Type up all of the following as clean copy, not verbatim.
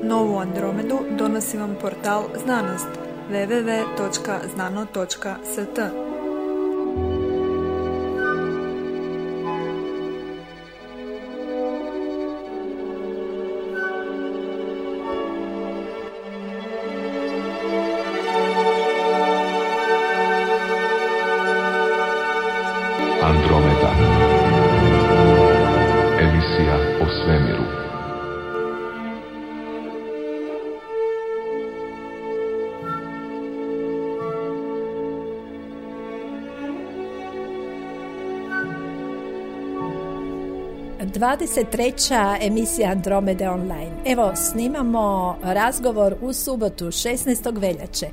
Novu Andromedu donosi vam portal Znanost www.znano.st. Andromeda. Emisija o svemiru. Treća emisija Andromede online. Evo, snimamo razgovor u subotu 16. veljače.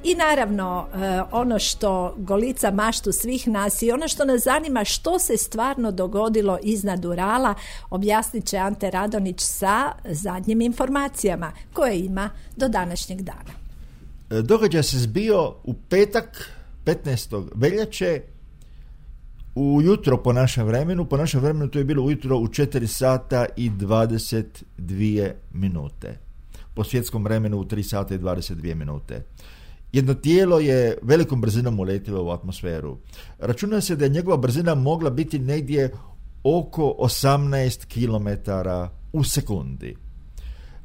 I naravno, ono što golica maštu svih nas i ono što nas zanima što se stvarno dogodilo iznad Urala, objasnit će Ante Radonić sa zadnjim informacijama koje ima do današnjeg dana. Događaj se zbio u petak 15. veljače ujutro po našem vremenu to je bilo ujutro u 4 sata i 22 minute. Po svjetskom vremenu u 3 sata i 22 minute. Jedno tijelo je velikom brzinom uletilo u atmosferu. Računa se da je njegova brzina mogla biti negdje oko 18 km u sekundi.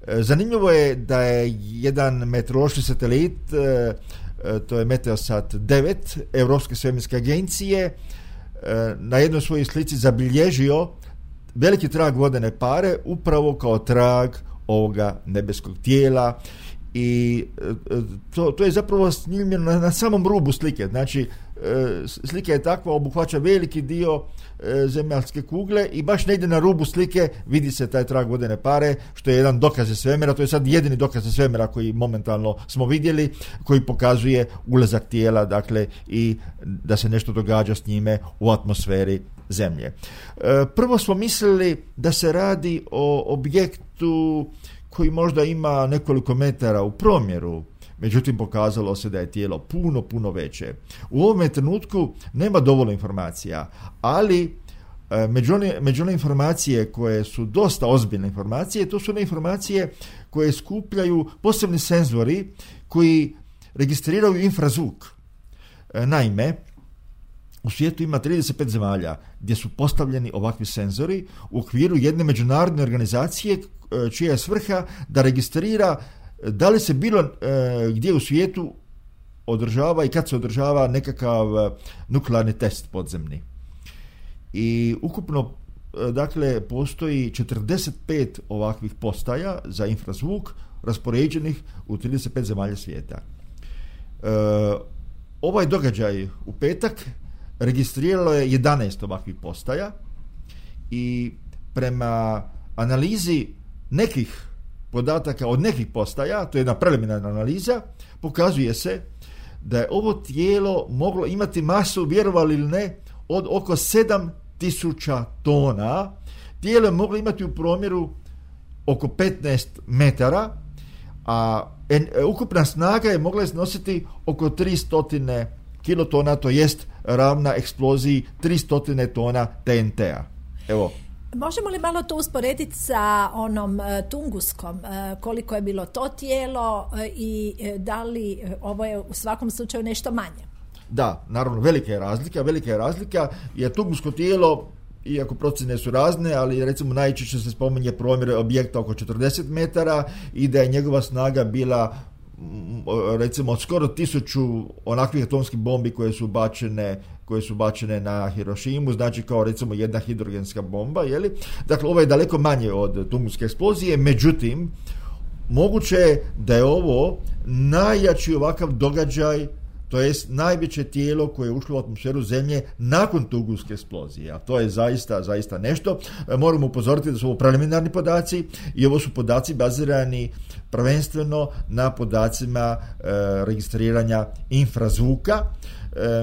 Zanimljivo je da je jedan meteorološki satelit, to je Meteosat 9 Europske svemirske agencije, na jednoj svojoj slici zabilježio veliki trag vodene pare upravo kao trag ovoga nebeskog tijela i to je zapravo snimljeno na samom rubu slike. Znači, slika je takva, obuhvaća veliki dio zemaljske kugle i baš negdje na rubu slike vidi se taj trag vodene pare, što je jedan dokaz svemira. To je sad jedini dokaz svemira koji momentalno smo vidjeli, koji pokazuje ulazak tijela, dakle, i da se nešto događa s njime u atmosferi Zemlje. Prvo smo mislili da se radi o objektu koji možda ima nekoliko metara u promjeru, međutim pokazalo se da je tijelo puno veće. U ovome trenutku nema dovoljno informacija, ali među one informacije koje su dosta ozbiljne informacije, to su one informacije koje skupljaju posebni senzori koji registriraju infrazvuk. Naime, u svijetu ima 35 zemalja gdje su postavljeni ovakvi senzori u okviru jedne međunarodne organizacije čija je svrha da registrira da li se bilo gdje u svijetu održava i kad se održava nekakav nuklearni test podzemni. I ukupno, dakle, postoji 45 ovakvih postaja za infrazvuk raspoređenih u 35 zemalja svijeta. Ovaj događaj u petak registriralo je 11 ovakvih postaja i prema analizi nekih podataka od nekih postaja, to je jedna preliminarna analiza, pokazuje se da je ovo tijelo moglo imati masu, vjerovali ili ne, od oko 7000 tona. Tijelo je moglo imati u promjeru oko 15 metara, a ukupna snaga je mogla iznositi oko 300 kilotona, to jest ravna eksploziji 300 tona TNT-a. Evo. Možemo li malo to usporediti sa onom Tunguskom, koliko je bilo to tijelo i da li ovo je u svakom slučaju nešto manje? Da, naravno, velika je razlika, jer Tungusko tijelo, iako procjene su razne, ali recimo najčešće se spominje promjer objekta oko 40 metara i da je njegova snaga bila recimo od skoro 1000 onakvih atomskih bombi koje su bačene na Hirošimu, znači kao recimo jedna hidrogenska bomba, jeli? Dakle, ovo je daleko manje od Tunguske eksplozije, međutim, moguće je da je ovo najjači ovakav događaj, to jest najveće tijelo koje je ušlo u atmosferu Zemlje nakon Tunguske eksplozije, a to je zaista nešto. Moramo upozoriti da su ovo preliminarni podaci i ovo su podaci bazirani prvenstveno na podacima registriranja infrazvuka.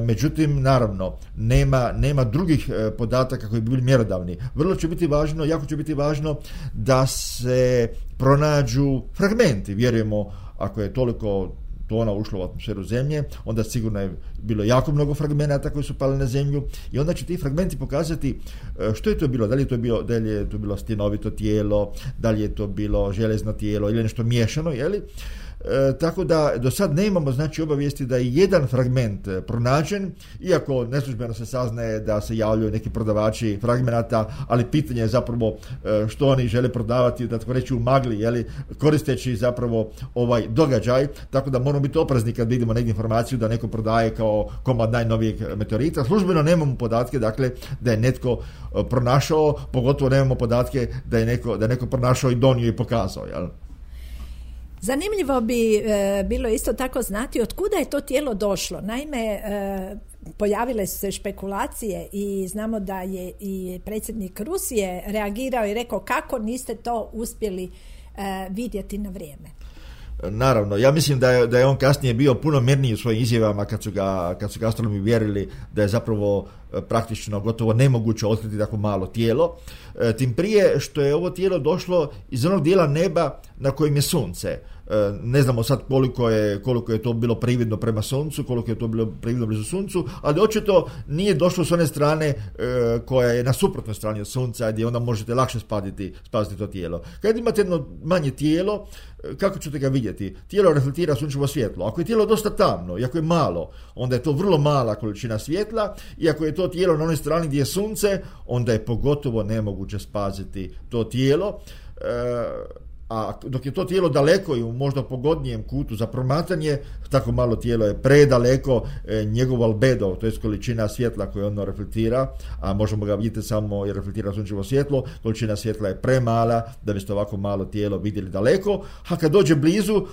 Međutim, naravno, nema drugih podataka koji bi bili mjerodavni. Jako će biti važno da se pronađu fragmenti, vjerujemo, ako je toliko tona ušlo u atmosferu Zemlje, onda sigurno je bilo jako mnogo fragmenata koji su pali na Zemlju i onda će ti fragmenti pokazati što je to bilo, da li je to bilo stinovito tijelo, da li je to bilo železno tijelo ili nešto miješano, jeli? Tako da do sad nemamo znači obavijesti da je jedan fragment pronađen, iako neslužbeno se saznaje da se javljaju neki prodavači fragmenata, ali pitanje je zapravo što oni žele prodavati, da tako reći u magli, jeli, koristeći zapravo ovaj događaj, tako da moramo biti oprezni kad vidimo negdje informaciju da neko prodaje kao komad najnovijeg meteorita. Službeno nemamo podatke, dakle, da je netko pronašao, pogotovo nemamo podatke da je neko pronašao i donio i pokazao, jel? Zanimljivo bi bilo isto tako znati od kuda je to tijelo došlo. Naime, pojavile su se špekulacije i znamo da je i predsjednik Rusije reagirao i rekao kako niste to uspjeli vidjeti na vrijeme. Naravno, ja mislim da je on kasnije bio puno mirniji u svojim izjavama kad su ga astronomi vjerili da je zapravo praktično gotovo nemoguće otkriti tako malo tijelo, tim prije što je ovo tijelo došlo iz onog dijela neba na kojem je sunce. Ne znamo sad koliko je to bilo prividno prema suncu, koliko je to bilo prividno blizu suncu, ali očito nije došlo s one strane koja je na suprotnoj strani od sunca, gdje onda možete lakše spaziti to tijelo. Kad imate jedno manje tijelo, kako ćete ga vidjeti? Tijelo reflektira sunčevo svjetlo. Ako je tijelo dosta tamno i ako je malo, onda je to vrlo mala količina svjetla, i ako je to tijelo na onoj strani gdje je sunce, onda je pogotovo nemoguće spaziti to tijelo. A dok je to tijelo daleko i u možda pogodnijem kutu za promatranje, tako malo tijelo je predaleko, njegov albedo, to je količina svjetla koju ono reflektira, a možemo ga vidjeti samo jer reflektira sunčevo svjetlo, količina svjetla je premala da biste ovako malo tijelo vidjeli daleko, a kad dođe blizu,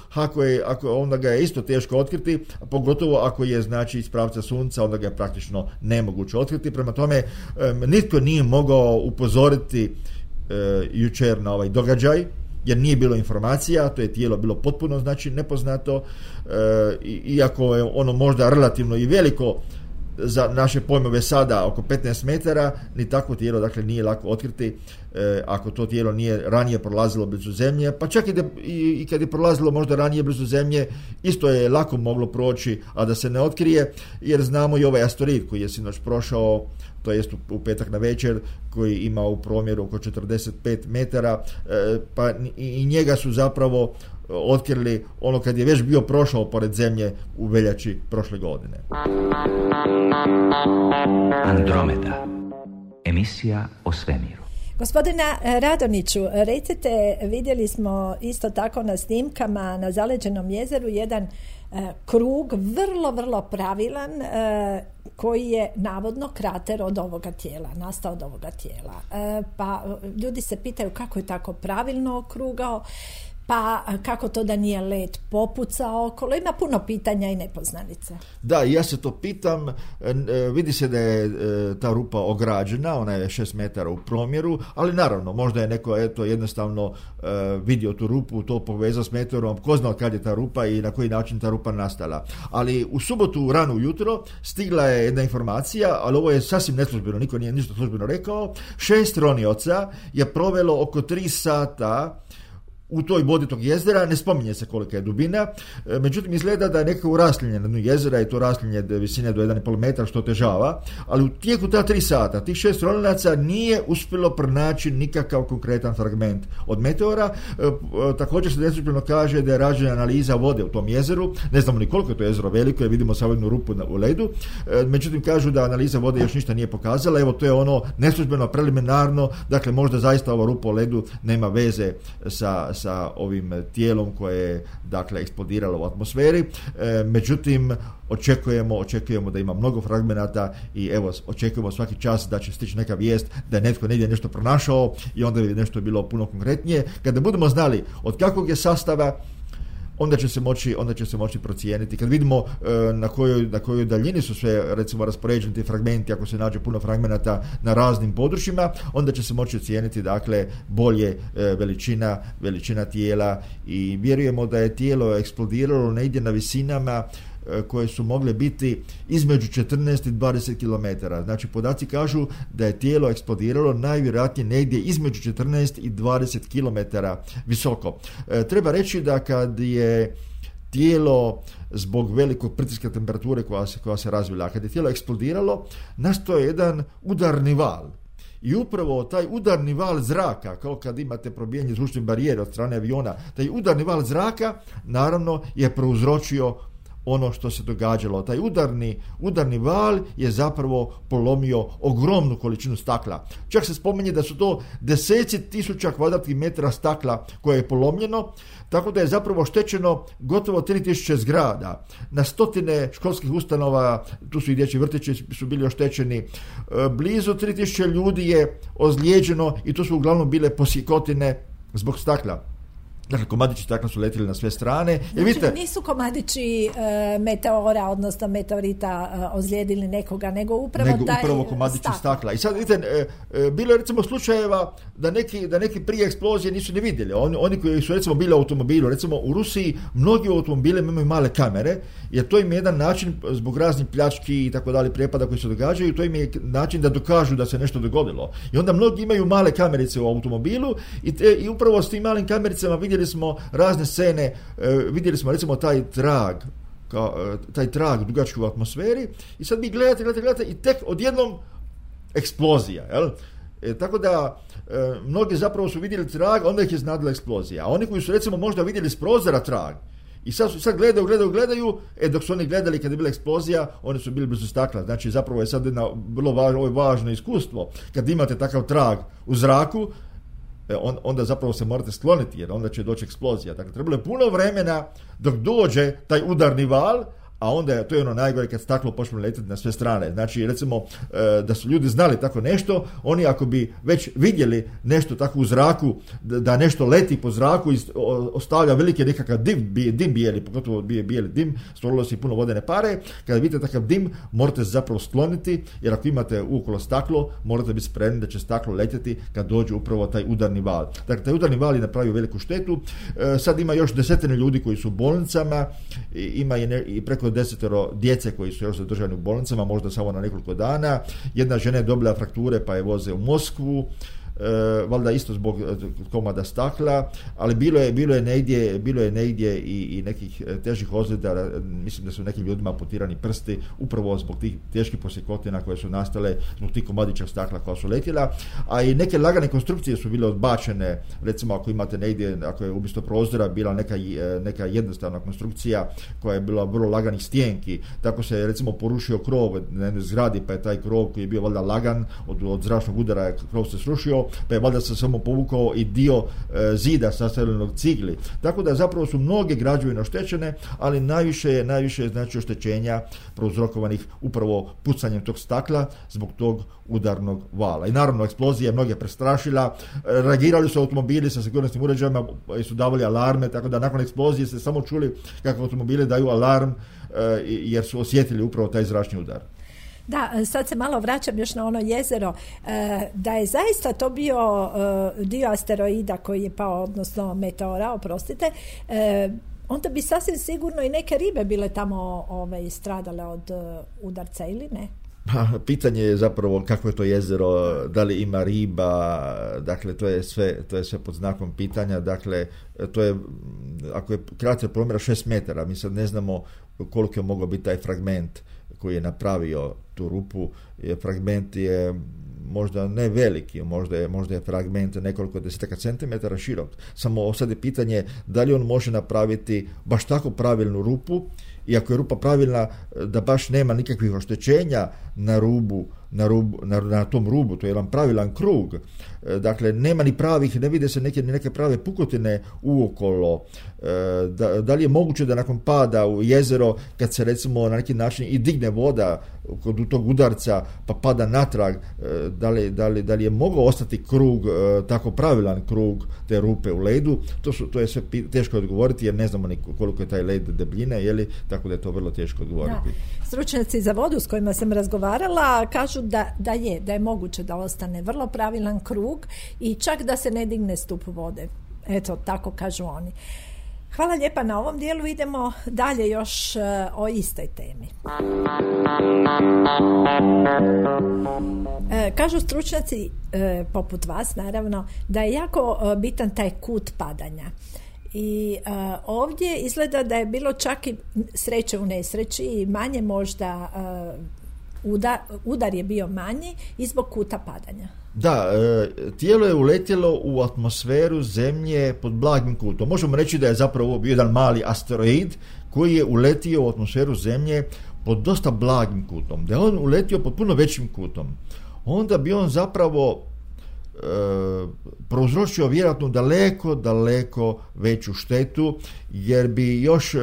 ako onda ga je isto teško otkriti, pogotovo ako je znači iz pravca sunca, onda ga je praktično nemoguće otkriti. Prema tome, nitko nije mogao upozoriti jučer na ovaj događaj, jer nije bilo informacija, to je tijelo bilo potpuno znači nepoznato, iako je ono možda relativno i veliko za naše pojmove sada oko 15 metara, ni takvo tijelo dakle nije lako otkriti ako to tijelo nije ranije prolazilo blizu Zemlje, pa čak i kad je prolazilo možda ranije blizu Zemlje, isto je lako moglo proći, a da se ne otkrije, jer znamo i ovaj asteroid koji je sinoć prošao, to jest u petak na večer, koji ima u promjeru oko 45 metara, pa i njega su zapravo otkrili ono kad je već bio prošao pored Zemlje u veljači prošle godine. Andromeda, emisija o svemiru. Gospodina Radoniću, recite, vidjeli smo isto tako na snimkama na Zaleđenom jezeru jedan krug vrlo, vrlo pravilan koji je navodno krater od ovoga tijela, nastao od ovoga tijela. Pa ljudi se pitaju kako je tako pravilno okrugao, pa kako to da nije led popucao okolo, ima puno pitanja i nepoznanica. Da, ja se to pitam, vidi se da je ta rupa ograđena, ona je 6 metara u promjeru, ali naravno, možda je neko jednostavno vidio tu rupu, to povezao s meteorom, ko zna kad je ta rupa i na koji način ta rupa nastala. Ali u subotu rano ujutro stigla je jedna informacija, ali ovo je sasvim neslužbeno, niko nije ništa službeno rekao, 6 ronioca je provelo oko 3 sata u toj vodi tog jezera, ne spominje se kolika je dubina, međutim izgleda da je nekako raslinje na dnu jezera i to raslinje visine do 1,5 metra što otežava, ali u tijeku ta 3 sata tih 6 ronioca nije uspjelo pronaći nikakav konkretan fragment od meteora. Također se neslužbeno kaže da je rađena analiza vode u tom jezeru, ne znamo ni koliko je to jezero veliko, jer vidimo samo jednu rupu u ledu, međutim kažu da analiza vode još ništa nije pokazala. Evo, to je ono neslužbeno, preliminarno, dakle možda zaista ova rupa u ledu nema veze sa ovim tijelom koje je dakle eksplodiralo u atmosferi, međutim očekujemo da ima mnogo fragmenata i evo očekujemo svaki čas da će stići neka vijest da je netko negdje nešto pronašao i onda bi nešto bilo puno konkretnije. Kada budemo znali od kakvog je sastava, onda će se moći procijeniti. Kad vidimo na kojoj daljini su sve recimo raspoređeni ti fragmenti, ako se nađe puno fragmenata na raznim područjima, onda će se moći ocijeniti dakle bolje veličina tijela i vjerujemo da je tijelo eksplodiralo negdje na visinama koje su mogle biti između 14 i 20 km. Znači podaci kažu da je tijelo eksplodiralo najvjerojatnije negdje između 14 i 20 km visoko. Treba reći da kad je tijelo zbog velikog pritiska temperature koja se razvila. A kad je tijelo eksplodiralo, nastao je jedan udarni val. I upravo taj udarni val zraka, kao kad imate probijanje zvučne barijere od strane aviona, taj udarni val zraka naravno je prouzročio ono što se događalo. Taj udarni val je zapravo polomio ogromnu količinu stakla. Čak se spominje da su to deseci tisuća kvadratnih metara stakla koje je polomljeno, tako da je zapravo oštećeno gotovo 3000 zgrada. Na stotine školskih ustanova, tu su i dječji vrtići su bili oštećeni. Blizu 3000 ljudi je ozlijeđeno i to su uglavnom bile posjekotine zbog stakla. Dakle, komadići stakla su letili na sve strane. Znači, vidite, nisu komadići meteora, odnosno meteorita ozlijedili nekoga, nego upravo komadići stakla. I sad, vidite, bilo je recimo slučajeva da neki prije eksplozije nisu ni vidjeli. Oni koji su recimo bili u automobilu, recimo u Rusiji, mnogi automobile imaju male kamere, jer to im je jedan način, zbog raznih pljački i tako dalje, prijepada koji se događaju, to im je način da dokažu da se nešto dogodilo. I onda mnogi imaju male kamerice u automobilu i upravo s tim malim kamericama vidjeli smo razne scene, vidjeli smo recimo taj trag dugački u atmosferi i sad vi gledate i tek odjednom eksplozija, jel? Tako da mnogi zapravo su vidjeli trag, onda ih je iznadila eksplozija. A oni koji su recimo možda vidjeli s prozora trag i sad gledaju, dok su oni gledali kad je bila eksplozija, oni su bili blizu stakla. Znači zapravo je sad jedno vrlo važno iskustvo. Kad imate takav trag u zraku, onda zapravo se morate skloniti, jer onda će doći eksplozija. Dakle, trebalo je puno vremena dok dođe taj udarni val, a onda to je ono najgore kad staklo počne letiti na sve strane. Znači, recimo, da su ljudi znali tako nešto, oni ako bi već vidjeli nešto tako u zraku, da nešto leti po zraku i ostavlja velike nekakav dim bijeli, pogotovo bijeli dim, stvorilo se i puno vodene pare, kada vidite takav dim, morate se zapravo skloniti, jer ako imate uokolo staklo, morate biti spremni da će staklo letjeti kad dođe upravo taj udarni val. Dakle, taj udarni val je napravio veliku štetu. Sad ima još desetine ljudi koji su u bolnicama, ima i preko 10 djece koji su još zadržani u bolnicama, možda samo na nekoliko dana. Jedna žena je dobila frakture pa je voze u Moskvu, valjda isto zbog komada stakla, ali bilo je negdje i nekih težih ozljeda. Mislim da su nekim ljudima amputirani prsti upravo zbog tih teških posjekotina koje su nastale zbog tih komadića stakla koja su letjela, a i neke lagane konstrukcije su bile odbačene. Recimo ako imate negdje, ako je umjesto prozora bila neka jednostavna konstrukcija koja je bila vrlo laganih stijenki, tako se recimo porušio krov na jednoj zgradi, pa je taj krov koji je bio valjda lagan od zračnog udara, krov se srušio, pa je valjda se samo povukao i dio zida sastavljenog cigli. Tako da zapravo su mnoge građevine oštećene, ali najviše je znači oštećenja prouzrokovanih upravo pucanjem tog stakla zbog tog udarnog vala. I naravno eksplozija je mnoge prestrašila, reagirali su automobili sa sigurnosnim uređajima i su davali alarme, tako da nakon eksplozije ste samo čuli kako automobili daju alarm jer su osjetili upravo taj zračni udar. Da, sad se malo vraćam još na ono jezero, da je zaista to bio dio asteroida koji je pao, odnosno meteora, oprostite, onda bi sasvim sigurno i neke ribe bile tamo stradale od udarca ili ne? Pitanje je zapravo kako je to jezero, da li ima riba, dakle to je sve pod znakom pitanja. Dakle, to je, ako je krater promjera 6 metara, mi sad ne znamo koliko je mogao biti taj fragment koji je napravio tu rupu. Fragment je možda ne veliki, možda je fragment nekoliko desetaka centimetara širok. Samo sad je pitanje da li on može napraviti baš tako pravilnu rupu, i ako je rupa pravilna da baš nema nikakvih oštećenja na tom rubu, to je jedan pravilan krug. Dakle, nema ni pravih, ne vide se neke prave pukotine uokolo. Da li je moguće da nakon pada u jezero, kad se recimo na neki način i digne voda kod tog udarca pa pada natrag, da li je mogao ostati krug, tako pravilan krug te rupe u ledu? To je sve teško odgovoriti jer ne znamo ni koliko je taj led debljine, tako da je to vrlo teško odgovoriti. Da. Stručnjaci za vodu s kojima sam razgovarala kažu da je moguće da ostane vrlo pravilan krug i čak da se ne digne stup vode. Eto, tako kažu oni. Hvala lijepa na ovom dijelu, idemo dalje još o istoj temi. Kažu stručnjaci, poput vas naravno, da je jako bitan taj kut padanja. I ovdje izgleda da je bilo čak i sreće u nesreći i manje možda udar je bio manji i zbog kuta padanja. Da, tijelo je uletjelo u atmosferu Zemlje pod blagim kutom. Možemo reći da je zapravo bio jedan mali asteroid koji je uletio u atmosferu Zemlje pod dosta blagim kutom. Da je on uletio pod puno većim kutom, onda bi on zapravo prouzročio vjerojatno daleko veću štetu, jer bi još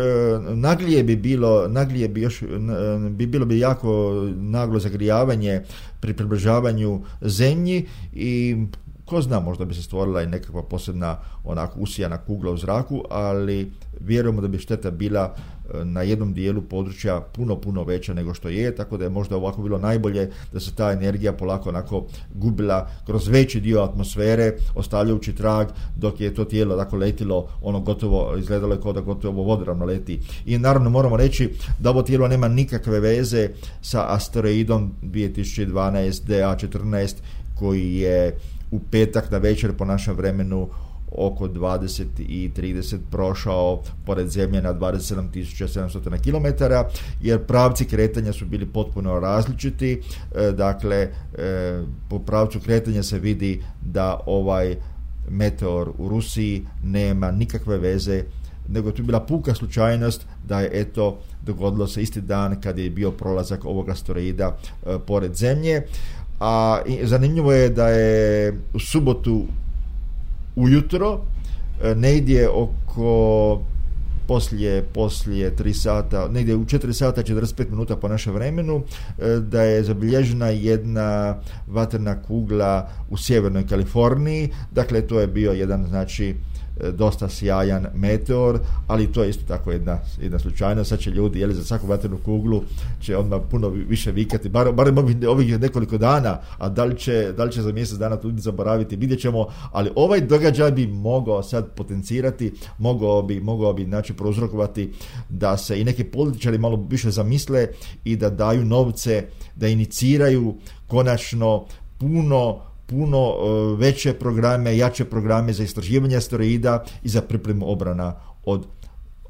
naglije bi bilo jako naglo zagrijavanje pri približavanju Zemlji i ko zna, možda bi se stvorila i nekakva posebna onako usijana kugla u zraku, ali vjerujemo da bi šteta bila na jednom dijelu područja puno veća nego što je, tako da je možda ovako bilo najbolje da se ta energija polako onako gubila kroz veći dio atmosfere, ostavljajući trag, dok je to tijelo tako letilo, ono gotovo izgledalo je kao da gotovo vodoravno leti. I naravno moramo reći da ovo tijelo nema nikakve veze sa asteroidom 2012 DA14 koji je u petak na večer po našem vremenu oko 20 i 30 prošao pored Zemlje na 27.700 km, jer pravci kretanja su bili potpuno različiti. Dakle, po pravcu kretanja se vidi da ovaj meteor u Rusiji nema nikakve veze, nego je tu bila puka slučajnost da je eto dogodilo se isti dan kad je bio prolazak ovog asteroida pored Zemlje. A zanimljivo je da je u subotu ujutro, negdje oko poslije 3 sata, negdje u 4 sata 45 minuta po našem vremenu, da je zabilježena jedna vatrena kugla u sjevernoj Kaliforniji. Dakle, to je bio jedan, znači, dosta sjajan meteor, ali to je isto tako jedna slučajnost. Sad će ljudi za svaku vatrenu kuglu će odmah puno više vikati, barem ovih nekoliko dana, a da li će za mjesec dana ljudi zaboraviti, vidjet ćemo, ali ovaj događaj bi mogao sad potencirati, mogao bi znači prouzrokovati da se i neki političari malo više zamisle i da daju novce, da iniciraju konačno puno veće programe, jače programe za istraživanje asteroida i za pripremu obrana od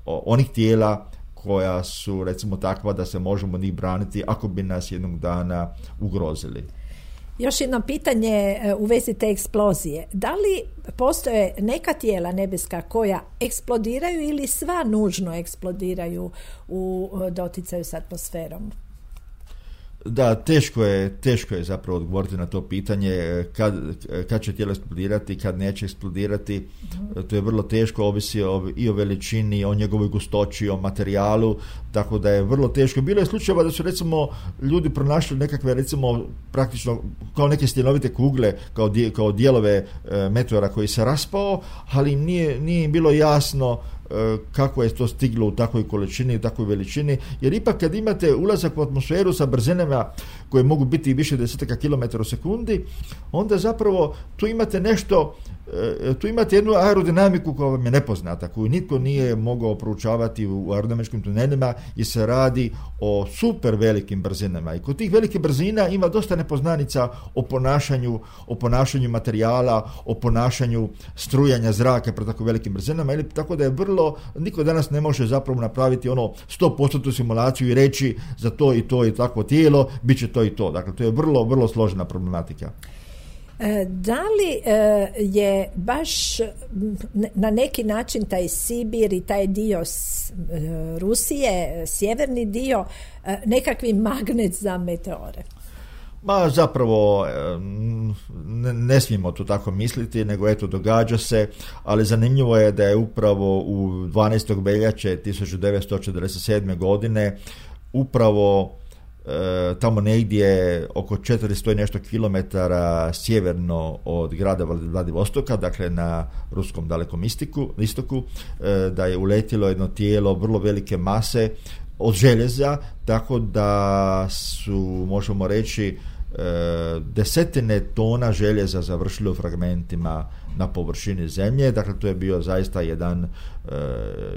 onih tijela koja su recimo takva da se možemo njih braniti ako bi nas jednog dana ugrozili. Još jedno pitanje u vezi te eksplozije. Da li postoje neka tijela nebeska koja eksplodiraju ili sva nužno eksplodiraju u doticaju s atmosferom? Da, teško je zapravo odgovoriti na to pitanje kad će tijelo eksplodirati, kad neće eksplodirati. To je vrlo teško, ovisi i o veličini, o njegovoj gustoći, o materijalu, tako da je vrlo teško. Bilo je slučajeva da su recimo ljudi pronašli nekakve recimo praktično kao neke stjenovite kugle, kao dijelove meteora koji se raspao, ali nije im bilo jasno kako je to stiglo u takvoj količini, u takvoj veličini, jer ipak kad imate ulazak u atmosferu sa brzinama koje mogu biti više desetaka kilometara u sekundi, onda zapravo tu imate nešto, tu imate jednu aerodinamiku koja vam je nepoznata, koju nitko nije mogao proučavati u aerodinamičkim tunelima, jer se radi o super velikim brzinama. I kod tih velikih brzina ima dosta nepoznanica o ponašanju materijala, o ponašanju strujanja zraka pri tako velikim brzinama, ili tako da je niko danas ne može zapravo napraviti 100% simulaciju i reći za to i to i takvo tijelo, bit će to i to. Dakle, to je vrlo složena problematika. Da li je baš na neki način taj Sibir i taj dio Rusije, sjeverni dio, nekakvi magnet za meteore? Ma zapravo ne smijemo to tako misliti, nego eto događa se, ali zanimljivo je da je upravo u 12. veljače 1947. godine upravo tamo negdje oko 400 i nešto kilometara sjeverno od grada Vladivostoka, dakle na ruskom dalekom istoku, da je uletilo jedno tijelo vrlo velike mase od željeza, tako da su, možemo reći, desetine tona željeza završili u fragmentima na površini Zemlje. Dakle, to je bio zaista jedan,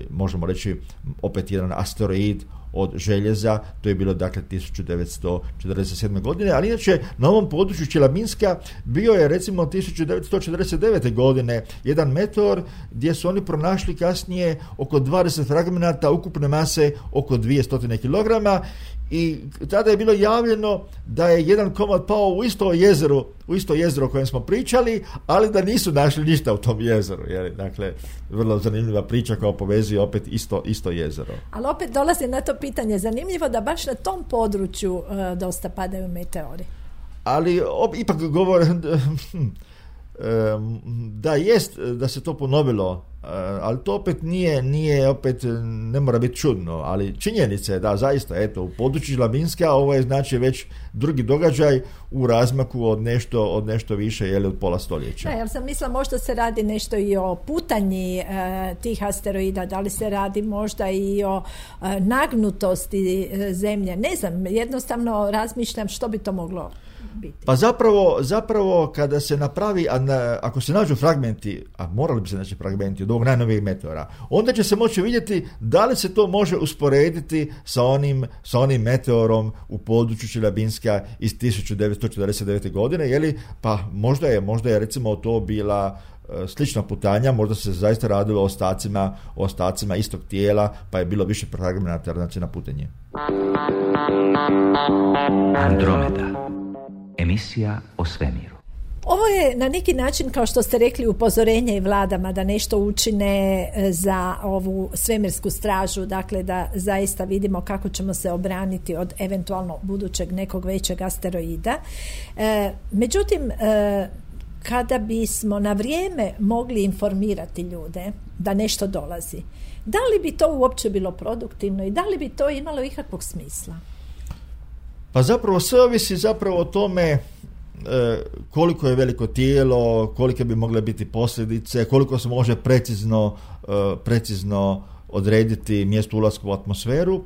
možemo reći, opet jedan asteroid od željeza, to je bilo dakle 1947. godine, ali inače na ovom području Čelabinska bio je recimo 1949. godine jedan meteor gdje su oni pronašli kasnije oko 20 fragmenata ukupne mase oko 200 kg i tada je bilo javljeno da je jedan komad pao u isto jezero o kojem smo pričali, ali da nisu našli ništa u tom jezeru. Dakle, vrlo zanimljiva priča koja povezuje opet isto jezero. Ali opet dolazi na to pitanje, zanimljivo da baš na tom području dosta padaju meteori. Ali ipak govore da se to ponovilo, ali to opet nije opet ne mora biti čudno, ali činjenica je da zaista u području Čelabinska ovo je znači već drugi događaj u razmaku od nešto više od pola stoljeća. Ja sam mislila možda se radi nešto i o putanji tih asteroida, da li se radi možda i o nagnutosti zemlje, ne znam, jednostavno razmišljam što bi to moglo biti. Pa zapravo kada se napravi, ako se nađu fragmenti, a morali bi se naći fragmenti od ovog najnovijeg meteora, onda će se moći vidjeti da li se to može usporediti sa onim meteorom u području Čelabinska iz 1949. godine, pa možda je recimo to bila slična putanja, možda se zaista radilo o ostacima istog tijela, pa je bilo više fragmenata na putenje. Andromeda. Emisija o svemiru. Ovo je na neki način, kao što ste rekli, upozorenje i vladama da nešto učine za ovu svemirsku stražu, dakle da zaista vidimo kako ćemo se obraniti od eventualno budućeg nekog većeg asteroida. Međutim, kada bismo na vrijeme mogli informirati ljude da nešto dolazi, da li bi to uopće bilo produktivno i da li bi to imalo ikakvog smisla? Pa zapravo sve ovisi o tome koliko je veliko tijelo, kolike bi mogle biti posljedice, koliko se može precizno odrediti mjesto ulaska u atmosferu,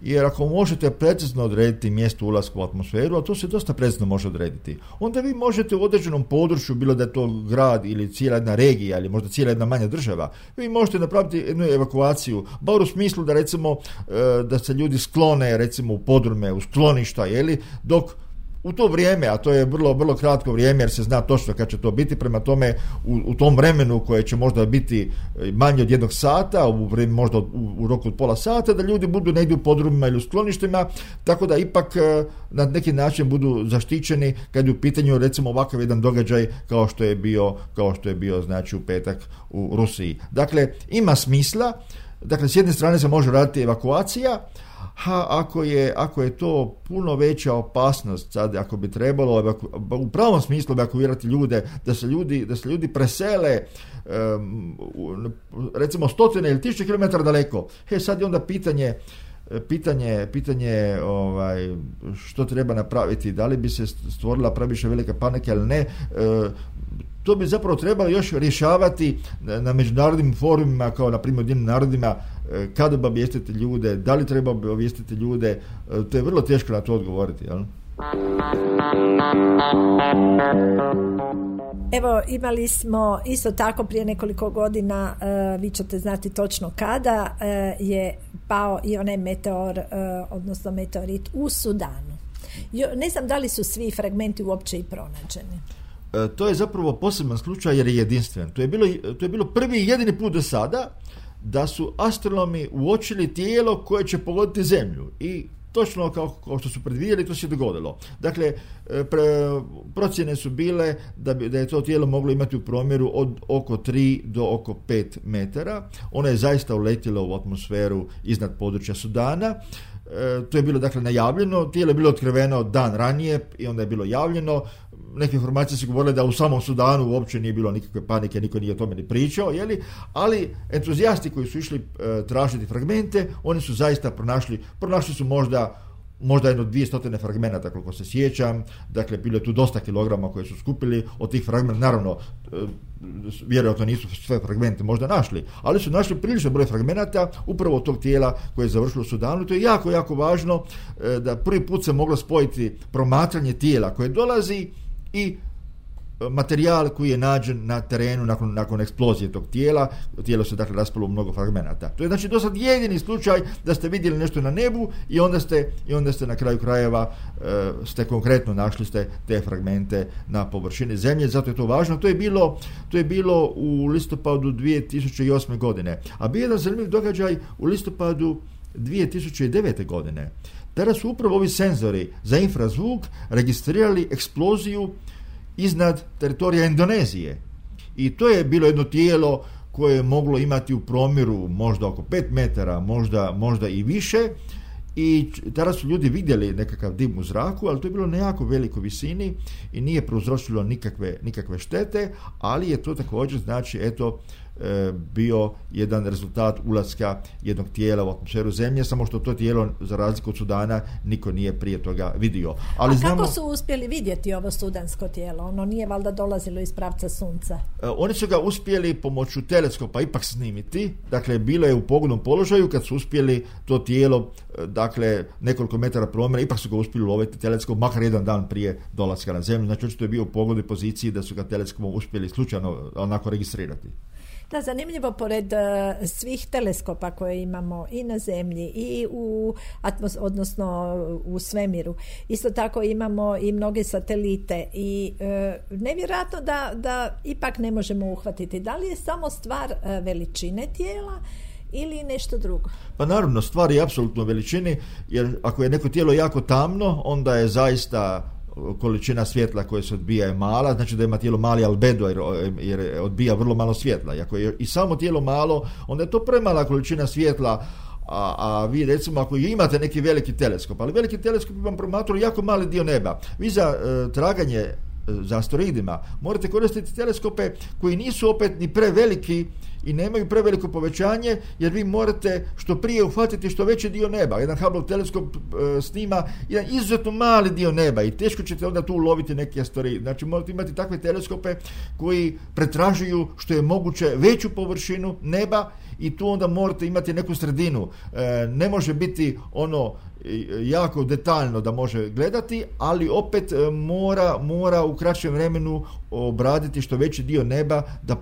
jer ako možete precizno odrediti mjesto ulaska u atmosferu, a to se dosta precizno može odrediti, onda vi možete u određenom području, bilo da je to grad ili cijela jedna regija ili možda cijela jedna manja država, vi možete napraviti jednu evakuaciju, bar u smislu da recimo da se ljudi sklone recimo u podrume, u skloništa, dok u to vrijeme, a to je vrlo, vrlo kratko vrijeme jer se zna točno kad će to biti, prema tome u tom vremenu koje će možda biti manje od 1 sata, možda u roku od pola sata, da ljudi budu negdje u podrumima ili u skloništima, tako da ipak na neki način budu zaštićeni kad je u pitanju recimo ovakav jedan događaj kao što je bio znači u petak u Rusiji. Dakle, ima smisla, dakle s jedne strane se može raditi evakuacija, ako je to puno veća opasnost, sad ako bi trebalo u pravom smislu evakuirati ljude, da se ljudi presele recimo 100 ili 1000 km daleko, sad je onda pitanje što treba napraviti, da li bi se stvorila previše velika panika ili ne. To bi zapravo trebalo još rješavati na međunarodnim forumima, kao na primjer Ujedinjenim narodima, kada bi obavijestiti ljude, da li treba obavijestiti ljude, to je vrlo teško na to odgovoriti, jel? Evo, imali smo isto tako prije nekoliko godina, vi ćete znati točno kada, je pao i onaj meteor, odnosno meteorit u Sudanu. Ne znam da li su svi fragmenti uopće i pronađeni. To je zapravo poseban slučaj jer je jedinstven. To je bilo prvi i jedini put do sada da su astronomi uočili tijelo koje će pogoditi Zemlju i točno kao što su predvidjeli, to se dogodilo. Dakle, procjene su bile da je to tijelo moglo imati u promjeru od oko 3 do oko 5 metara. Ono je zaista uletjelo u atmosferu iznad područja Sudana. To je bilo dakle najavljeno, tijelo je bilo otkriveno dan ranije i onda je bilo javljeno. Neke informacije su govorile da u samom Sudanu uopće nije bilo nikakve panike, niko nije o tome ni pričao, ali entuzijasti koji su išli tražiti fragmente, oni su zaista pronašli su možda jedno 200 fragmenata, koliko se sjećam. Dakle, bilo je tu dosta kilograma koje su skupili od tih fragmenta. Naravno, vjerojatno nisu sve fragmente možda našli, ali su našli prilično broj fragmenata upravo od tog tijela koje je završilo u Sudanu. To je jako, jako važno da prvi put se moglo spojiti promatranje tijela koje dolazi i materijal koji je nađen na terenu nakon eksplozije tog tijela. Tijelo se dakle raspalo u mnogo fragmenata. To je znači do sad jedini slučaj da ste vidjeli nešto na nebu i onda ste na kraju krajeva ste konkretno našli ste te fragmente na površini zemlje, zato je to važno. To je bilo u listopadu 2008. godine. A bio je jedan zanimljiv događaj u listopadu 2009. godine. Tada su upravo ovi senzori za infrazvuk registrirali eksploziju iznad teritorija Indonezije. I to je bilo jedno tijelo koje je moglo imati u promjeru možda oko 5 metara, možda i više. I tada su ljudi vidjeli nekakav dim u zraku, ali to je bilo na jako velikoj visini i nije prouzročilo nikakve štete, ali je to također znači bio jedan rezultat ulaska jednog tijela u atmosferu zemlje, samo što to tijelo za razliku od Sudana niko nije prije toga vidio. Ali kako su uspjeli vidjeti ovo sudansko tijelo? Ono nije valjda dolazilo iz pravca sunca? Oni su ga uspjeli pomoću teleskopa ipak snimiti, dakle bilo je u pogodnom položaju kad su uspjeli to tijelo, dakle nekoliko metara promjera, ipak su ga uspjeli uloviti teleskop makar jedan dan prije dolaska na zemlju, znači očito je bio u pogodnoj poziciji da su ga teleskopom uspjeli slučajno onako registrirati. Da, zanimljivo, pored svih teleskopa koje imamo i na zemlji i odnosno u svemiru, isto tako imamo i mnoge satelite i nevjerojatno da ipak ne možemo uhvatiti. Da li je samo stvar veličine tijela ili nešto drugo? Pa naravno, stvar je apsolutno veličini, jer ako je neko tijelo jako tamno, onda je zaista količina svjetla koja se odbija je mala, znači da ima tijelo mali albedo jer odbija vrlo malo svjetla. I ako je i samo tijelo malo, onda je to premala količina svjetla, a vi recimo ako imate neki veliki teleskop, ali veliki teleskop vam promatruje jako mali dio neba. Vi za traganje za asteroidima morate koristiti teleskope koji nisu opet ni preveliki i nemaju preveliko povećanje, jer vi morate što prije uhvatiti što veći dio neba. Jedan Hubble teleskop snima jedan izuzetno mali dio neba i teško ćete onda tu uloviti neki asteroid. Znači morate imati takve teleskope koji pretražuju što je moguće veću površinu neba i tu onda morate imati neku sredinu. Ne može biti ono jako detaljno da može gledati, ali opet mora u kraćem vremenu obraditi što veći dio neba da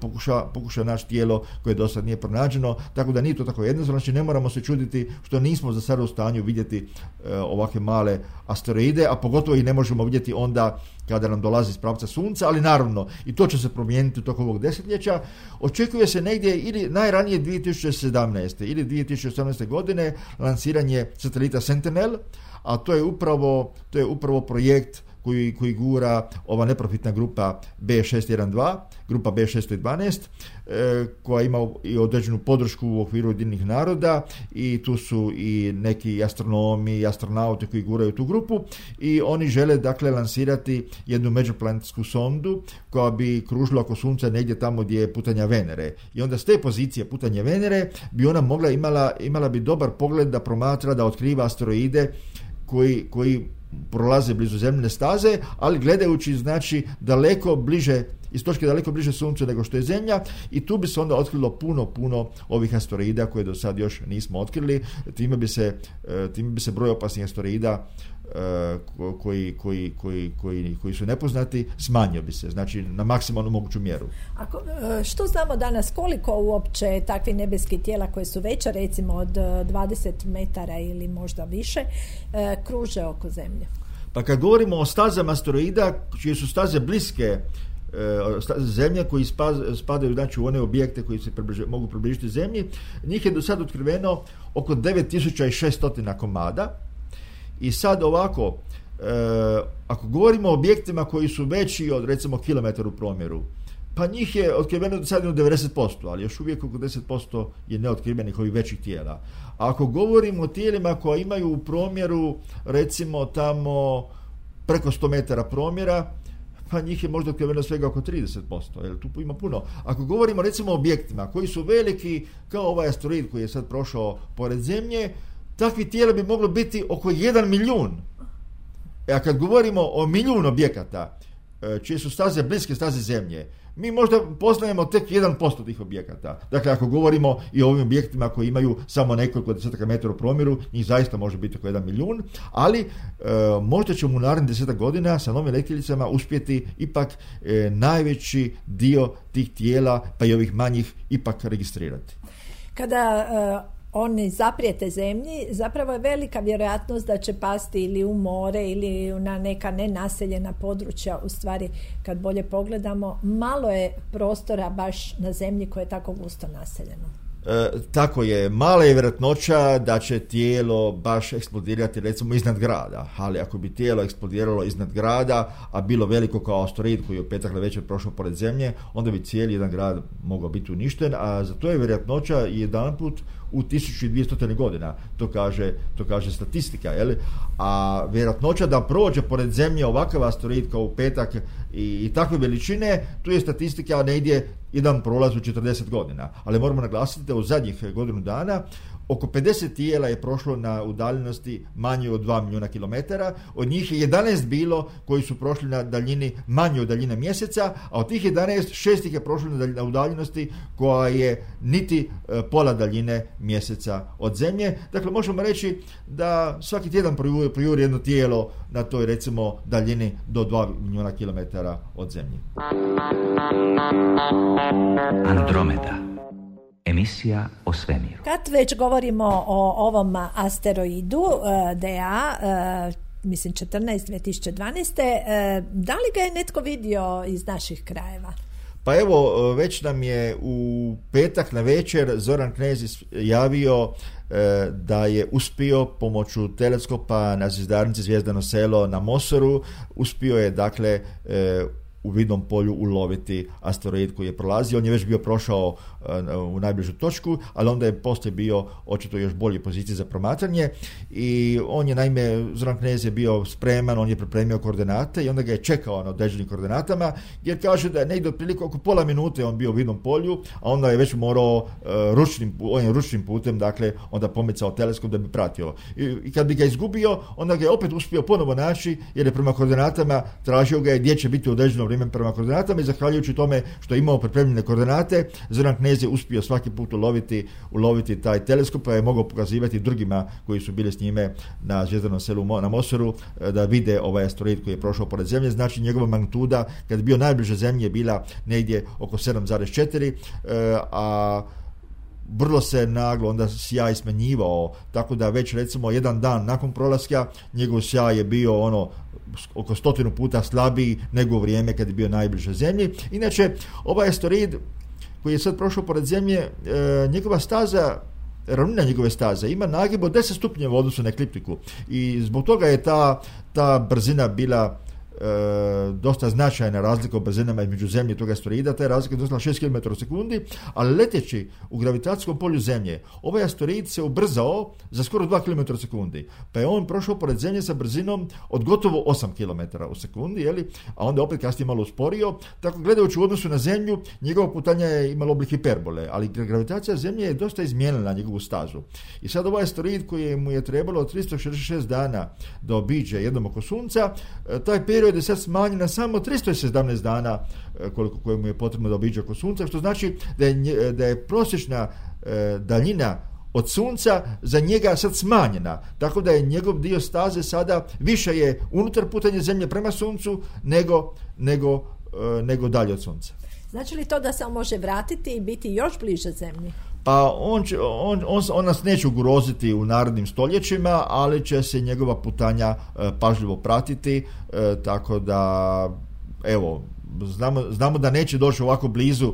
pokuša naći tijelo koje do sad nije pronađeno, tako da nije to tako jednostavno. Znači ne moramo se čuditi što nismo za sada u stanju vidjeti ovakve male asteroide, a pogotovo ih ne možemo vidjeti onda kada nam dolazi iz pravca sunca, ali naravno i to će se promijeniti u toku ovog desetljeća. Očekuje se negdje ili najranije 2017. ili 2018. godine lansiranje satelita Sentinel, a to je upravo projekt koji gura ova neprofitna grupa B612, grupa B612, koja ima i određenu podršku u okviru Ujedinjenih naroda i tu su i neki astronomi i astronauti koji guraju tu grupu i oni žele dakle lansirati jednu međuplanetsku sondu koja bi kružila oko Sunca negdje tamo gdje je putanja Venere. I onda s te pozicije putanja Venere bi ona imala bi dobar pogled da promatra, da otkriva asteroide koji prolaze blizu zemljine staze, ali gledajući znači daleko bliže, iz točke daleko bliže Suncu nego što je Zemlja, i tu bi se onda otkrilo puno ovih asteroida koje do sad još nismo otkrili. Time bi se broj opasnih asteroida koji su nepoznati smanjio bi se, znači na maksimalnu moguću mjeru. Što znamo danas, koliko uopće takvih nebeskih tijela koje su veća recimo od 20 metara ili možda više kruže oko Zemlje? Pa kad govorimo o stazama asteroida čije su staze bliske Zemlje, koji spadaju znači u one objekte koji se mogu približiti Zemlji, njih je do sad otkriveno oko 9600 komada. I sad ovako, ako govorimo o objektima koji su veći od recimo kilometar u promjeru, pa njih je otkriveno do sad 90%, ali još uvijek oko 10% je neotkrivenih ovih većih tijela. A ako govorimo o tijelima koja imaju u promjeru recimo tamo preko 100 metara promjera, pa njih je možda otkriveno svega oko 30%, jer tu ima puno. Ako govorimo recimo o objektima koji su veliki kao ovaj asteroid koji je sad prošao pored Zemlje, takvih tijela bi moglo biti oko 1 milijun. A kad govorimo o milijun objekata, čije su staze bliske staze Zemlje, mi možda poznajemo tek 1% tih objekata. Dakle, ako govorimo i o ovim objektima koji imaju samo nekoliko desetaka metara u promjeru, njih zaista može biti oko 1 milijun, ali možda ćemo u narednih 10 godina sa novim letjelicama uspjeti ipak najveći dio tih tijela, pa i ovih manjih, ipak registrirati. Kada oni zaprijete zemlji, zapravo je velika vjerojatnost da će pasti ili u more ili na neka nenaseljena područja. U stvari, kad bolje pogledamo, malo je prostora baš na zemlji koje je tako gusto naseljeno. Tako je, mala je vjerojatnoća da će tijelo baš eksplodirati recimo iznad grada, ali ako bi tijelo eksplodiralo iznad grada, a bilo veliko kao asteroid koji je u petak navečer prošao pored Zemlje, onda bi cijeli jedan grad mogao biti uništen, a za to je vjerojatnoća jedanput u 1200 godina, to kaže statistika, jel? A vjerojatnoća da prođe pored Zemlje ovakav asteroid kao u petak i takve veličine, tu je statistika negdje jedan prolaz u 40 godina. Ali moramo naglasiti da u zadnjih godinu dana oko 50 tijela je prošlo na udaljenosti manje od 2 milijuna kilometara, od njih je 11 bilo koji su prošli na daljini manje od daljine mjeseca, a od tih 11, 6 ih je prošlo na udaljenosti koja je niti pola daljine mjeseca od Zemlje. Dakle, možemo reći da svaki tjedan projuri jedno tijelo na toj recimo daljini do 2 milijuna kilometara od Zemlje. Andromeda. Emisija o svemiru. Kad već govorimo o ovom asteroidu DA, mislim 2012, da li ga je netko vidio iz naših krajeva? Pa evo, već nam je u petak na večer Zoran Knez javio da je uspio pomoću teleskopa na zvjezdarnici Zvijezdano selo na Mosoru, uspio je dakle u vidnom polju uloviti asteroid koji je prolazio. On je već bio prošao u najbližu točku, ali onda je poslije bio očito još bolje poziciji za promatranje i on je naime, Zoran Knez je bio spreman, on je pripremio koordinate i onda ga je čekao na određenim koordinatama, jer kaže da je negdje otprilike oko pola minute on bio u vidnom polju, a onda je već morao ručnim putem, dakle, onda pomicao teleskop da bi pratio. I kad bi ga izgubio, onda ga je opet uspio ponovo naći, jer je prema koordinatama tražio ga je gdje će biti određeno vrijeme prema koordinatama i zahvaljujući tome što je imao pripremljene koordinate, Zoran Knez je uspio svaki put uloviti taj teleskop, pa je mogao pokazivati drugima koji su bili s njime na Zvijezdanom selu na Mosoru da vide ovaj asteroid koji je prošao pored Zemlje. Znači njegova magnituda kad je bio najbliže Zemlji je bila negdje oko 7,4, a vrlo se naglo onda sjaj smanjivao, tako da već recimo jedan dan nakon prolaska njegov sjaj je bio oko 100 puta slabiji nego u vrijeme kad je bio najbliže Zemlji. Inače, ovaj asteroid koji je sad prošao pored Zemlje, njegova staza, ravnina njegove staze ima nagib od 10 stupnjeva u odnosu na ekliptiku i zbog toga je ta brzina bila dosta značajna razlika u brzinama između Zemlje i toga asteroida. Ta je razlika iznosila 6 km u sekundi, ali leteći u gravitacijskom polju Zemlje, ovaj asteroid se ubrzao za skoro 2 km u sekundi, pa je on prošao pored Zemlje sa brzinom od gotovo 8 km u sekundi, a onda opet kasnije malo usporio, tako gledajući u odnosu na Zemlju, njegova putanja je imala oblik hiperbole, ali gravitacija Zemlje je dosta izmijenila njegovu stazu. I sad ovaj asteroid koji mu je trebalo 366 dana da obiđe jednom oko Sunca, taj period je sad smanjen na samo 317 dana koliko mu je potrebno da obiđe oko Sunca, što znači da je prosječna daljina od Sunca za njega sad smanjena, tako da je njegov dio staze sada više je unutar putanja Zemlje prema Suncu nego dalje od Sunca. Znači li to da se on može vratiti i biti još bliže Zemlji? Pa on nas neće ugroziti u narednim stoljećima, ali će se njegova putanja pažljivo pratiti, tako da evo, znamo da neće doći ovako blizu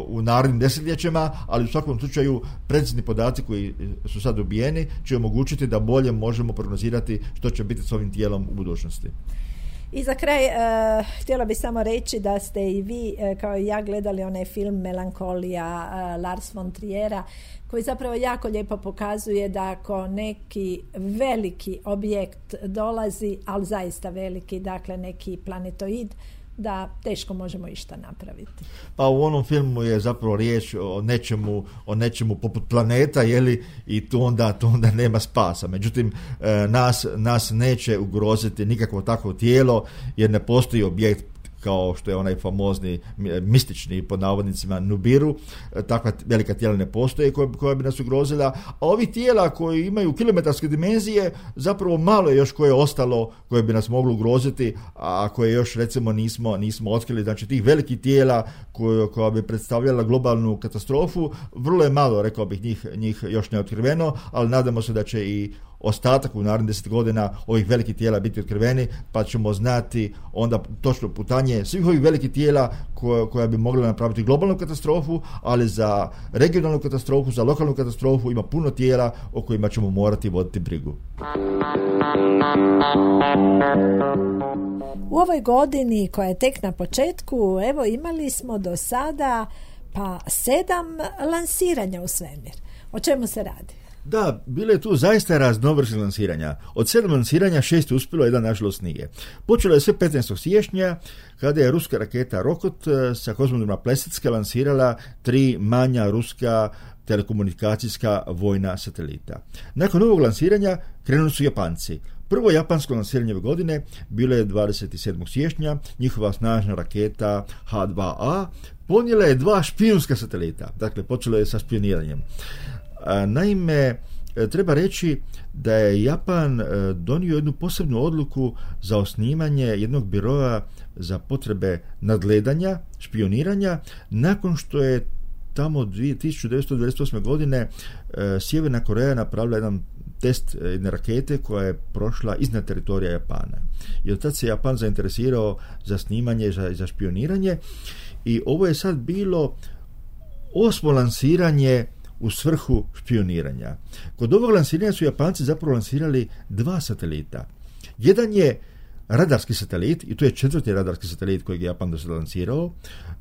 u narednim desetljećima, ali u svakom slučaju precizni podaci koji su sad dobijeni će omogućiti da bolje možemo prognozirati što će biti s ovim tijelom u budućnosti. I za kraj htjela bih samo reći da ste i vi kao i ja gledali onaj film Melankolija Lars von Triera, koji zapravo jako lijepo pokazuje da ako neki veliki objekt dolazi, ali zaista veliki, dakle neki planetoid, da teško možemo išta napraviti. Pa u onom filmu je zapravo riječ o nečemu poput planeta, i tu onda nema spasa. Međutim, nas neće ugroziti nikakvo takvo tijelo, jer ne postoji objekt kao što je onaj famozni mistični pod navodnicima Nubiru, takva velika tijela ne postoje koja bi nas ugrozila, a ovi tijela koji imaju kilometarske dimenzije, zapravo malo je još koje je ostalo koje bi nas moglo ugroziti, a koje još recimo nismo otkrili. Znači tih velikih tijela koja bi predstavljala globalnu katastrofu, vrlo je malo, rekao bih, njih još ne otkriveno, ali nadamo se da će i ostatak u narednih 10 godina ovih velikih tijela biti otkriveni, pa ćemo znati onda točno putanje svih ovih velikih tijela koja bi mogla napraviti globalnu katastrofu, ali za regionalnu katastrofu, za lokalnu katastrofu ima puno tijela o kojima ćemo morati voditi brigu. U ovoj godini koja je tek na početku, evo imali smo do sada 7 lansiranja u svemir. O čemu se radi? Da, bilo je tu zaista raznovrsnih lansiranja. Od 7 lansiranja 6 je uspjelo, jedan nažalost nije. Počelo je sve 15. siječnja kada je ruska raketa Rokot sa kozmodroma Plesecka lansirala 3 manja ruska telekomunikacijska vojna satelita. Nakon ovog lansiranja krenuli su Japanci. Prvo japansko lansiranje ove godine bilo je 27. siječnja, njihova snažna raketa H2A ponijela je 2 špijunska satelita, dakle počelo je sa špijuniranjem. Naime, treba reći da je Japan donio jednu posebnu odluku za osnivanje jednog biroa za potrebe nadgledanja, špioniranja, nakon što je tamo 1998. godine Sjeverna Koreja napravila jedan test jedne rakete koja je prošla iznad teritorija Japana. I od tad se Japan zainteresirao za snimanje, za špioniranje, i ovo je sad bilo 8. lansiranje u svrhu špioniranja. Kod ovog lansiranja su Japanci zapravo lansirali 2 satelita. Jedan je radarski satelit, i to je 4. radarski satelit kojeg je Japan do sada lansirao.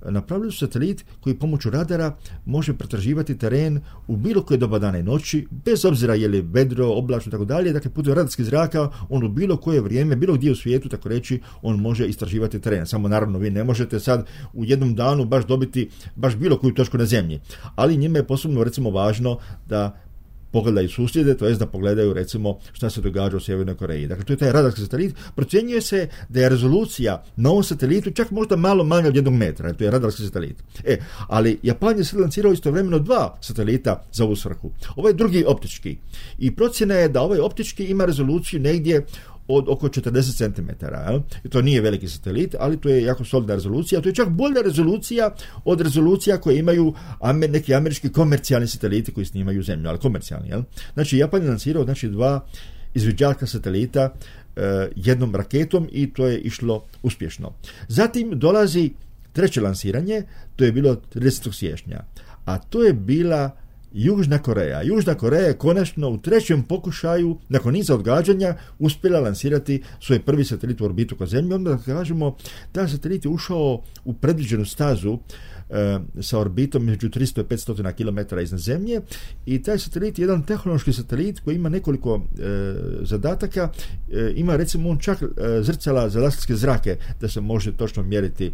Napravili su satelit koji pomoću radara može pretraživati teren u bilo koje doba dana i noći, bez obzira je li vedro, oblačno i tako dalje. Dakle, putem radarskih zraka on u bilo koje vrijeme, bilo gdje u svijetu, tako reći, on može istraživati teren. Samo naravno vi ne možete sad u jednom danu baš dobiti baš bilo koju točku na zemlji. Ali njima je posebno recimo važno da pogledaju susjede, to jest da pogledaju recimo šta se događa u Sjevernoj Koreji. Dakle, to je taj radarski satelit. Procjenjuje se da je rezolucija na ovom satelitu čak možda malo manja od 1 metra. To je radarski satelit. Ali Japan je sad lancirao istovremeno 2 satelita za ovu svrhu. Ovaj drugi optički. I procjena je da ovaj optički ima rezoluciju negdje od oko 40 cm. I to nije veliki satelit, ali to je jako solidna rezolucija. To je čak bolja rezolucija od rezolucija koje imaju neki američki komercijalni sateliti koji snimaju zemlju, ali komercijalni. Znači, Japan je lansirao 2 izviđačka satelita jednom raketom i to je išlo uspješno. Zatim dolazi 3. lansiranje, to je bilo 30. siječnja, a to je bila Južna Koreja. Južna Koreja je konačno u 3. pokušaju, nakon niza odgađanja, uspjela lansirati svoj prvi satelit u orbitu oko Zemlje. Onda kažemo, taj satelit je ušao u predviđenu stazu sa orbitom među 300 i 500 km iznad Zemlje, i taj satelit je jedan tehnološki satelit koji ima nekoliko zadataka. Ima recimo on čak zrcala za laserske zrake da se može točno mjeriti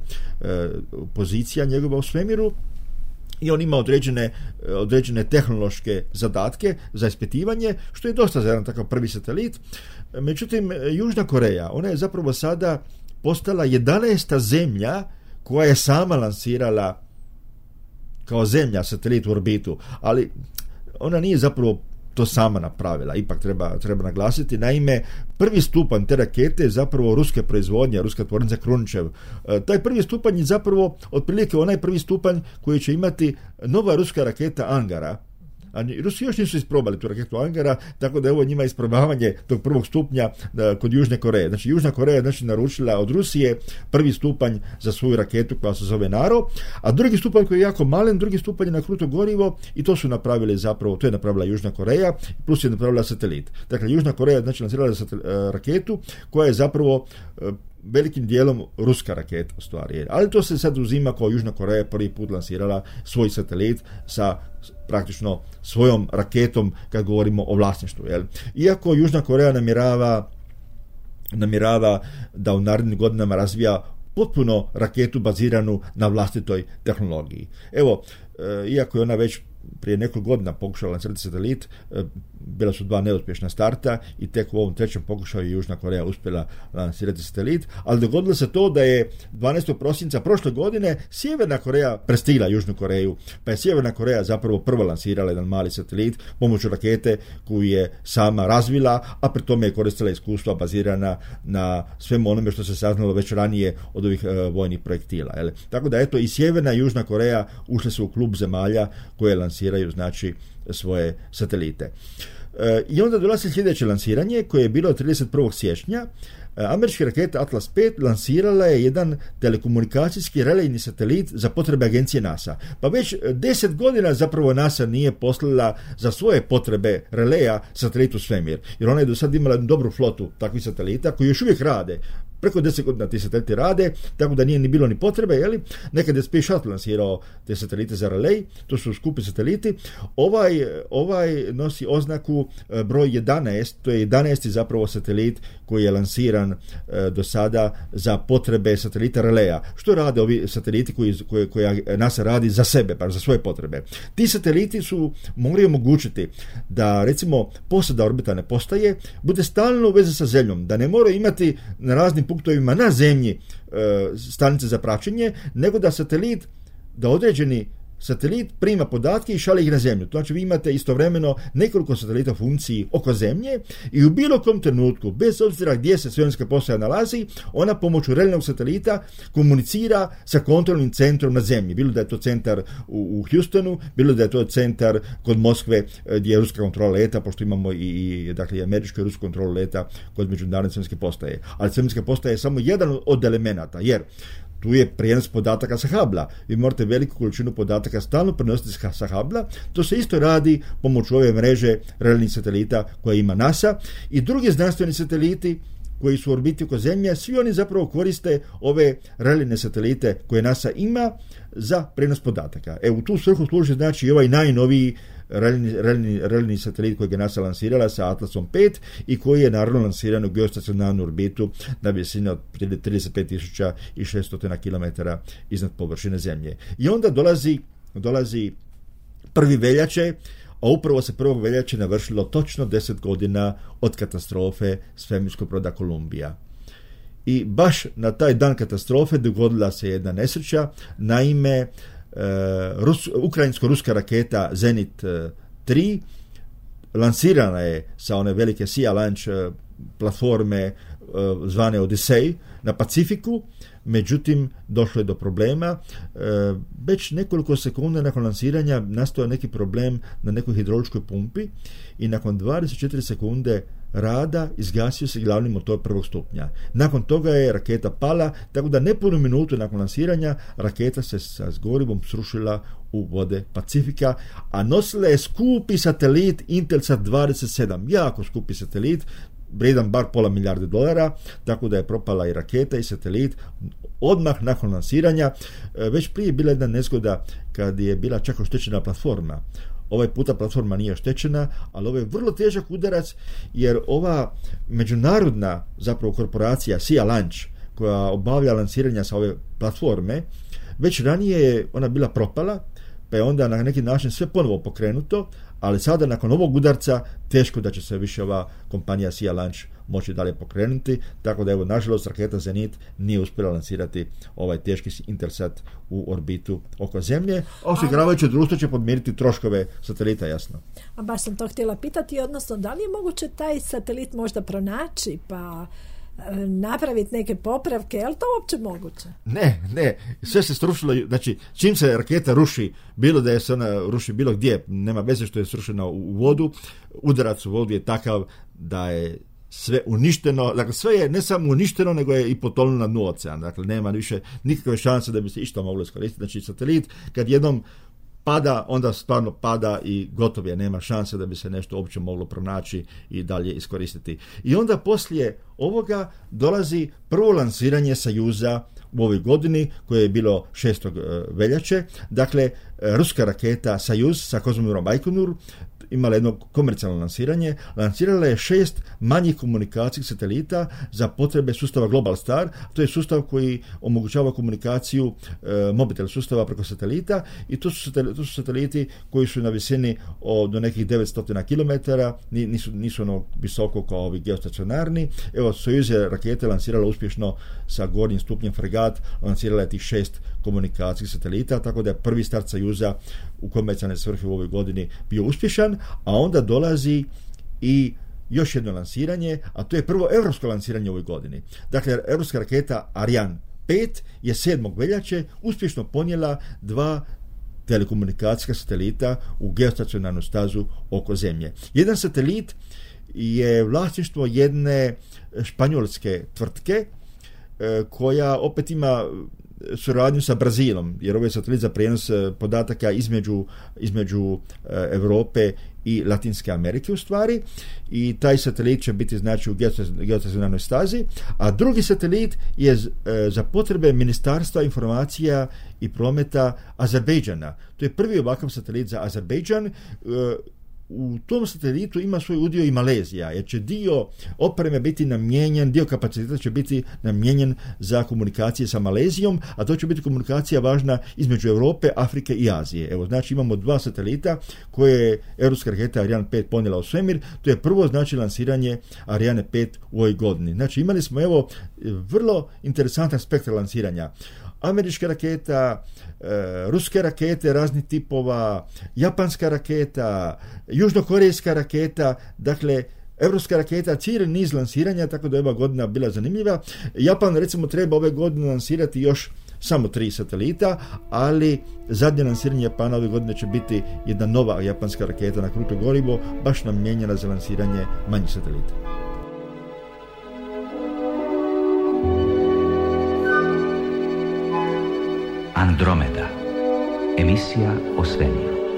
pozicija njegova u svemiru. I on ima određene tehnološke zadatke za ispitivanje, što je dosta za jedan takav prvi satelit. Međutim, Južna Koreja, ona je zapravo sada postala 11. zemlja koja je sama lansirala kao zemlja satelit u orbitu, ali ona nije zapravo to sama napravila, ipak treba naglasiti. Naime, prvi stupanj te rakete je zapravo ruske proizvodnje, ruska tvornica Krunčev. Taj prvi stupanj je zapravo otprilike onaj prvi stupanj koji će imati nova ruska raketa Angara. A Rusi još nisu isprobali tu raketu Angara, tako da je ovo njima isprobavanje tog prvog stupnja kod Južne Koreje. Znači, Južna Koreja je naručila od Rusije prvi stupanj za svoju raketu koja se zove Naro, a drugi stupanj koji je jako malen, drugi stupanj je na kruto gorivo, i to su napravili zapravo, to je napravila Južna Koreja, plus je napravila satelit. Dakle, Južna Koreja je lansirala raketu koja je zapravo velikim dijelom ruska raketa u stvari. Ali to se sad uzima kao Južna Koreja prvi put lansirala svoj satelit sa praktično svojom raketom kad govorimo o vlasništvu. Iako Južna Koreja namjerava da u narednim godinama razvija potpuno raketu baziranu na vlastitoj tehnologiji. Evo, iako je ona već prije nekoliko godina pokušala lansirati satelit, bila su 2 neuspješna starta i tek u ovom 3. pokušaju je Južna Koreja uspjela lansirati satelit, ali dogodilo se to da je 12. prosinca prošle godine Sjeverna Koreja prestigla Južnu Koreju, pa je Sjeverna Koreja zapravo prvo lansirala jedan mali satelit pomoću rakete koju je sama razvila, a pri tome je koristila iskustva bazirana na svemu onome što se saznalo već ranije od ovih vojnih projektila. Jel? Tako da eto i Sjeverna i Južna Koreja ušle su u klub zemalja koje lansiraju znači svoje satelite. I onda dolazi sljedeće lansiranje koje je bilo 31. siječnja. Američka raketa Atlas 5 lansirala je jedan telekomunikacijski relejni satelit za potrebe agencije NASA. Pa već 10 godina zapravo NASA nije poslala za svoje potrebe releja satelit u svemir. Jer ona je do sad imala dobru flotu takvih satelita koji još uvijek rade. Preko 10 godina ti sateliti rade, tako da nije ni bilo ni potrebe, jeli? Nekad je Space Shuttle lansirao te satelite za relej, to su skupi sateliti. Ovaj nosi oznaku broj 11, to je 11. zapravo satelit koji je lansiran do sada za potrebe satelita releja. Što rade ovi sateliti koje NASA radi za sebe, pa za svoje potrebe? Ti sateliti su mogli omogućiti da recimo posada orbitalne postaje bude stalno u vezi sa Zemljom, da ne moraju imati na raznim punktovima na Zemlji stanice za praćenje, nego da određeni satelit prima podatke i šalje ih na Zemlju. Znači vi imate istovremeno nekoliko satelita u funkciji oko Zemlje i u bilo kom trenutku, bez obzira gdje se svemirska postaja nalazi, ona pomoću relejnog satelita komunicira sa kontrolnim centrom na Zemlji. Bilo da je to centar u Houstonu, bilo da je to centar kod Moskve gdje je ruska kontrola leta, pošto imamo i američku i rusku kontrolu leta kod međunarodne svemirske postaje. Ali svemirska postaja je samo jedan od elemenata, jer tu je prijenos podataka sa Hubble-a. Vi morate veliku količinu podataka stalno prenositi sa Hubble-a. To se isto radi pomoću ove mreže relejnih satelita koje ima NASA i drugi znanstveni sateliti koji su u orbiti oko Zemlje, svi oni zapravo koriste ove relejne satelite koje NASA ima za prenos podataka. U tu svrhu služi znači i ovaj najnoviji relejni satelit koji je NASA lansirala sa Atlasom 5 i koji je naravno lansiran u geostacionarnu orbitu na visini od 35.600 km iznad površine Zemlje. I onda dolazi 1. veljače, a upravo se 1. veljače navršilo točno 10 godina od katastrofe svemirskog broda Columbia. I baš na taj dan katastrofe dogodila se jedna nesreća. Naime, ukrajinsko-ruska raketa Zenit 3 lansirana je sa one velike Sea Launch platforme zvane Odyssey na Pacifiku, međutim došlo je do problema. Već nekoliko sekunda nakon lansiranja nastao je neki problem na nekoj hidrauličkoj pumpi i nakon 24 sekunde rada izgasio se glavni motor 1. stupnja. Nakon toga je raketa pala, tako da nepunu minutu nakon lansiranja raketa se sa gorivom srušila u vode Pacifika, a nosila je skupi satelit Intelsat 27, jako skupi satelit, vrijedan bar $500 milijardi, tako da je propala i raketa i satelit odmah nakon lansiranja. Već prije je bila jedna nezgoda kad je bila čak oštećena platforma. Ovaj puta platforma nije oštećena, ali ovo je vrlo težak udarac jer ova međunarodna zapravo korporacija Sea Launch koja obavlja lansiranja sa ove platforme, već ranije je ona bila propala, pa je onda na neki način sve ponovo pokrenuto, ali sada nakon ovog udarca teško da će se više ova kompanija Sea Launch moći dalje pokrenuti, tako da evo nažalost raketa Zenit nije uspjela lansirati ovaj teški Intelsat u orbitu oko Zemlje, a osiguravajuće društvo će podmiriti troškove satelita, jasno. A baš sam to htjela pitati, odnosno da li je moguće taj satelit možda pronaći pa napraviti neke popravke, je li to uopće moguće? Ne, sve se srušilo, znači čim se raketa ruši, bilo da je se ona ruši bilo gdje, nema veze što je srušena u vodu, udarac u vodu je takav da je sve uništeno, dakle sve je ne samo uništeno, nego je i potonulo na dnu oceana, dakle nema više nikakve šanse da bi se išta moglo iskoristiti, znači satelit kad jednom pada, onda stvarno pada i gotov je, nema šanse da bi se nešto uopće moglo pronaći i dalje iskoristiti. I onda poslije ovoga dolazi prvo lansiranje Sojuza u ovoj godini, koje je bilo 6. veljače, dakle ruska raketa Sojuz sa kozmodrom Bajkonur imala jedno komercijalno lansiranje. Lansirala je 6 manjih komunikacijskih satelita za potrebe sustava Global Star. To je sustav koji omogućava komunikaciju mobitel sustava preko satelita i to su sateliti koji su na visini do nekih 900 km, nisu ono visoko kao ovi geostacionarni. Evo, Sojuz je rakete lansirala uspješno sa gornjim stupnjem fregat, lansirala je tih 6 komunikacijskih satelita, tako da je prvi start Sojuza u komercijalne svrhe u ovoj godini bio uspješan, a onda dolazi i još jedno lansiranje, a to je prvo europsko lansiranje u ovoj godini. Dakle, europska raketa Ariane 5 je 7. veljače uspješno ponijela 2 telekomunikacijska satelita u geostacionarnu stazu oko Zemlje. Jedan satelit je vlasništvo jedne španjolske tvrtke koja opet ima suradnju sa Brazilom, jer ovo je satelit za prijenos podataka između Europe i Latinske Amerike u stvari, i taj satelit će biti znači u geostacionarnoj stazi, a drugi satelit je za potrebe Ministarstva informacija i prometa Azerbejdžana. To je prvi ovakav satelit za Azerbejdžan. U tom satelitu ima svoj udio i Malezija, jer će dio opreme biti namijenjen, dio kapaciteta će biti namijenjen za komunikacije sa Malezijom, a to će biti komunikacija važna između Europe, Afrike i Azije. Evo, znači imamo 2 satelita koje je europska raketa Ariane 5 ponijela u svemir. To je prvo znači lansiranje Ariane 5 u ovoj godini. Znači imali smo evo vrlo interesantan spektar lansiranja. Američka raketa, ruske rakete raznih tipova, japanska raketa, južnokorejska raketa, dakle, evropska raketa, cijeli niz lansiranja, tako da je ova godina bila zanimljiva. Japan, recimo, treba ove godine lansirati još samo 3 satelita, ali zadnje lansiranje Japana ove godine će biti jedna nova japanska raketa na kruto gorivo, baš namijenjena za lansiranje manjih satelita. Andromeda. Emisija o svemiru.